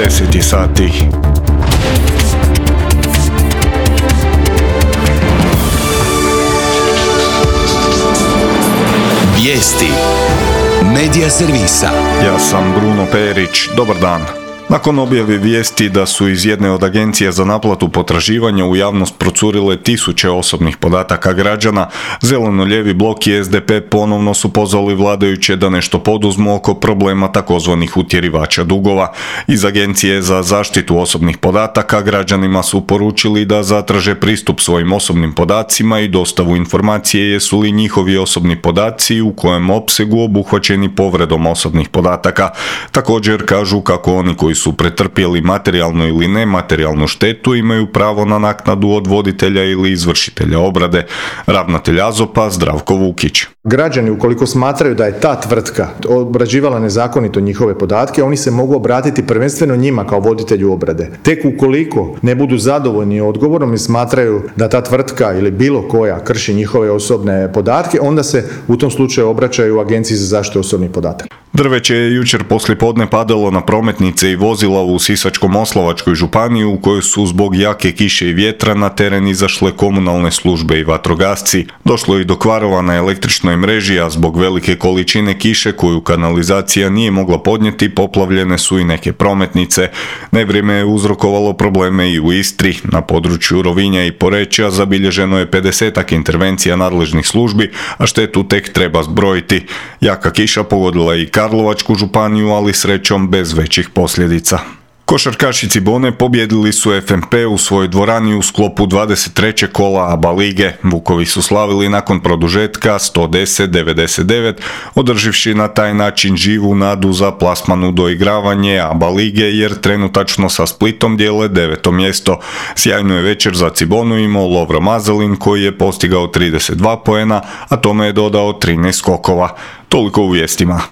10 sati. Vijesti Medija servisa. Ja sam Bruno Perić, dobar dan. Nakon objave vijesti da su iz jedne od agencija za naplatu potraživanja u javnost procurile tisuće osobnih podataka građana, Zeleno-lijevi blok i SDP ponovno su pozvali vladajuće da nešto poduzmu oko problema takozvanih utjerivača dugova. Iz Agencije za zaštitu osobnih podataka građanima su poručili da zatraže pristup svojim osobnim podacima i dostavu informacije jesu li njihovi osobni podaci u kojem opsegu obuhvaćeni povredom osobnih podataka. Također kažu kako oni koji su pretrpjeli materijalnu ili nematerijalnu štetu imaju pravo na naknadu od voditelja ili izvršitelja obrade. Ravnatelj AZOP-a Zdravko Vukić. Građani ukoliko smatraju da je ta tvrtka obrađivala nezakonito njihove podatke, oni se mogu obratiti prvenstveno njima kao voditelju obrade. Tek ukoliko ne budu zadovoljni odgovorom i smatraju da ta tvrtka ili bilo koja krši njihove osobne podatke, onda se u tom slučaju obraćaju Agenciji za zaštitu osobnih podataka. Drveće je jučer poslijepodne padalo na prometnice i vozila u Sisačko-moslavačkoj županiji u kojoj su zbog jake kiše i vjetra na teren izašle komunalne službe i vatrogasci. Došlo je i do kvarova na električnoj mreži, a zbog velike količine kiše koju kanalizacija nije mogla podnijeti, poplavljene su i neke prometnice. Nevrijeme je uzrokovalo probleme i u Istri. Na području Rovinja i Poreča zabilježeno je 50-ak intervencija nadležnih službi, a štetu tek treba zbrojiti. Jaka kiša pogodila i Karlovačku županiju, ali srećom bez većih posljedica. Košarkaši Cibone pobjedili su FNP u svojoj dvorani u sklopu 23. kola ABA lige. Vukovi su slavili nakon produžetka 110-99, održivši na taj način živu nadu za plasman u doigravanje ABA lige, jer trenutačno sa Splitom dijele 9. mjesto. Sjajnu je večer za Cibonu imao Lovro Mazelin koji je postigao 32 poena, a tome je dodao 13 skokova. Toliko u vijestima.